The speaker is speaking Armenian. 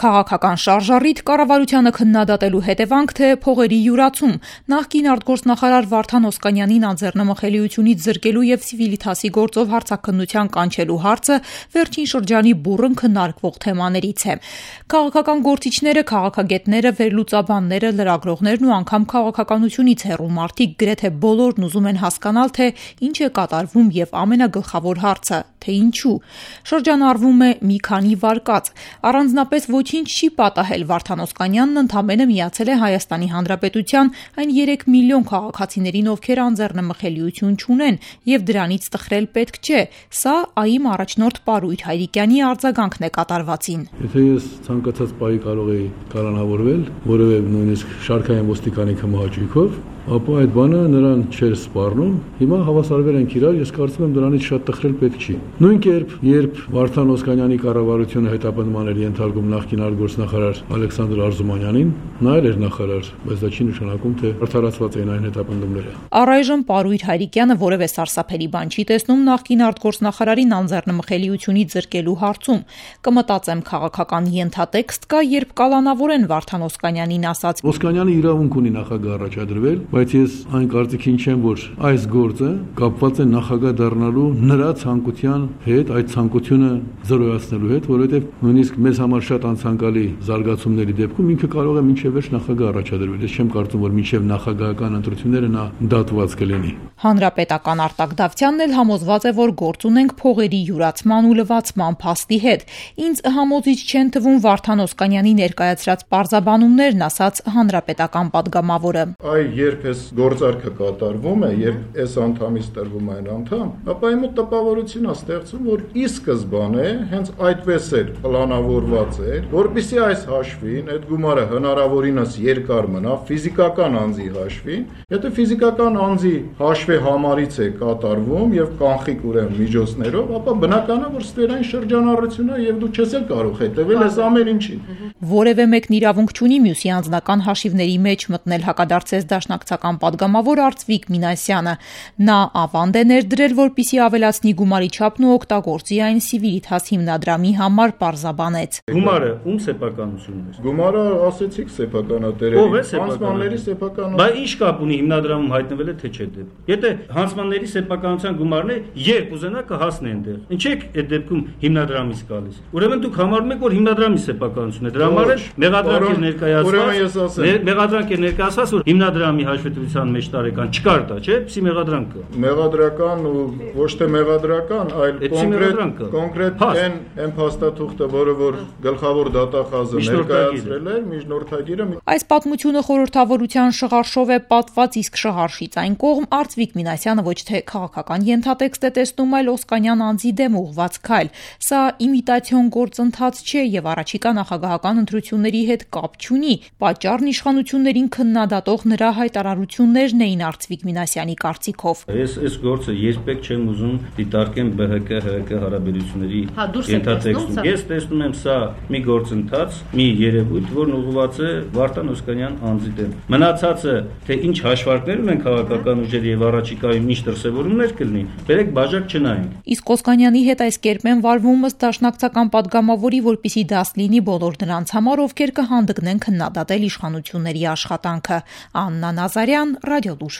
Քաղաքական շարժառիթ կառավարությանը քննադատելու հետևանք թե փողերի յուրացում։ Նախկին արտգործնախարար Վարդան Օսկանյանին անձեռնմխելիությունից զրկելու եւ Civitas-ի գործով հարցաքննության կանչելու հարցը վերջին շրջանի բուռն քննարկվող թեմաներից է։ Քաղաքական գործիչները, քաղաքագետները, վերլուծաբանները, լրագրողներն ու անգամ քաղաքականությունից հեռու մարդիկ գրեթե բոլորն ուզում են հասկանալ, թե ինչ է կատարվում եւ ամենագլխավոր հարցը, թե ինչու։ Շրջանառվում է մի քանի վարկած։ Առանձնապես ոչինչ չի պատահել, Վարդան Օսկանյանն ընդամենը միացել է Հայաստանի Հանրապետության այն 3 միլիոն քաղաքացիներին, ովքեր անձեռնմխելիություն չունեն, եւ դրանից տխրել պետք չէ։ Սա ԱԻ-մ առաջնորդ Պարույր Հայրիկյանի արձագանքն է կատարվածին։ Եթե ես ցանկացած պահի կարող էի կալանավորվել, որևէ նույնիսկ շարքային ոստիկանի քմահաճույքով, ապա այդ բանը նրան չէր սպառնում։ Հիմա հավասարվել ենք իրար, ես կարծում եմ դրանից շատ տխրել պետք չի։ Նույն կերպ, երբ Վարդան Օսկանյանի կառավարությունը հետապնդման էր ենթարկում նախկին արտգործնախարար Ալեքսանդր Արզումանյանին, նա էր նախարար, բայց դա չի նշանակում, թե արդարացված էին այն հետապնդումները։ Առայժմ Պարույր Հայրիկյանը որևէ սարսափելի բան չի տեսնում նախկին արտգործնախարարին անձեռնմխելիությունից զրկելու հարցում։ Կմտածեմ, քաղաքական ենթատեքստ կա, երբ կալանավորեն Վարդան Օսկանյանին ասած. Օսկանյանը իրավունք ունի նախագահ առաջադրվել, բայց ես այն կարծիքին չեմ, որ այս գործը կապված է նախագահ դառնալու նրա ցանկության հետ, այդ ցանկությունը զրոյացնելու հետ, որովհետև նույնիսկ մեզ համար շատ անցանկալի զարգացումների դեպքում ինքը կարող է մինչև վերջ նախագահ առաջադրվել։ Ես չեմ կարծում, որ մինչև նախագահական ընտրությունները նա դատված կլինի։ Հանրապետական Արտակ Դավթյանն էլ համոզված է, որ գործ ունենք փողերի յուրացման ու լվացման փաստի հետ։ Ինձ համոզիչ չեն թվում Վարդան Օսկանյանի ներկայացրած պարզաբանումներն, ասաց հանրապետական падգամավորը։ Երբ այս գործարքը կատարվում է, երբ այս անդամից տրվում է այն անդամ, ապա իմ տպավորությունն է ստեղծում, որ ի սկզբանե հենց այդպես էր պլանավորված էր, որպեսզի այս հաշվին այդ գումարը հնարավորինս երկար մնա ֆիզիկական անձի հաշվին, եթե ֆիզիկական անձի հաշվի համարից է կատարվում եւ կանխիկ ուրեմն միջոցներով, ապա բնական է, որ ստվերային շրջանառություն է եւ դու չես էլ կարող հետեւել այս ամեն ինչին։ Որևէ մեկն իրավունք չունի մյուսի անձնական հաշիվների մեջ մտնել, հակադարձեց դաշնակցական падգամավոր Արծվիկ Մինասյանը։ Նա ավանդ է ներդրել, որպեսզի ավելացնի գումարի չափն ու օգտագործի այն Civitas հիմնադրամի համար, պարզաբանեց։ Գումարը ում սեփականությունն է։ Գումարը ասեցիք սեփականատերերի, հանձնանների սեփականություն։ Բայց ինչ կապ ունի հիմնադրամում հայտնվել է թե չէ դեպ։ Եթե հանձնանների սեփականության գումարն է, երբ ուզենա կհասնի այնտեղ։ Ինչ եք այդ դեպքում հիմնադրամից գալիս։ Ուրեմն դուք համարում եք, որ հիմնադրամի սեփականությունն է։ Դրա համար էլ մեղադրանք է ներկայացված, որ հիմնադրամի հաշվետվության մեջ տարեկան չկար դա, չէ՞, պսի մեղադրանք կա։ Մեղադրական ու ոչ թե մեղադրական, այլ կոնկրետ այն փաստաթուղթը, որը որ գլխավոր դատախազը ներկայացրել էր միջնորդագիրը։ Այս պատմությունը խորհրդավորության շղարշով է պատված, իսկ շղարշից այն կողմ Արծվիկ Մինասյանը ոչ թե քաղաքական ենթատեքստ է տեսնում, այլ Օսկանյան անձի դեմ ուղղված քայլ։ Սա իմիտացիոն գործընթաց չէ եւ առաջիկա նախագահական ընտրությունների հետ կապ չունի։ Պատճառն իշխանություններին քննադատող նրա հայտարարություններն էին Արծվիկ Մինասյանի կարծիքով։ Ես այս գործը երբեք չեմ ուզում դիտարկեմ ԲՀԿ-ՀՀԿ հարաբերությունների ենթատեքստում։ Ես տեսնում եմ սա մի գործընթաց, մի երևույթ, որն ուղղված է Վարդան Օսկանյան անձի դեմ։ Մնացածը, թե ինչ հաշվարկներ ունեն քաղաքական ուժերը եւ առաջիկայում ինչ դրսեւորումներ կլինի, բերեք բաժակ չնայենք։ Իսկ Օսկանյանի հետ այս կերպ են վարվում ըստ դաշնակցական падգամավորի, որպեսզի դաս լինի բոլոր նրանց համար, ովքեր կհանդգնեն քննադատել իշխանությունների աշխատանքը։ Աննա Նազարյան, Ռադիոլուր։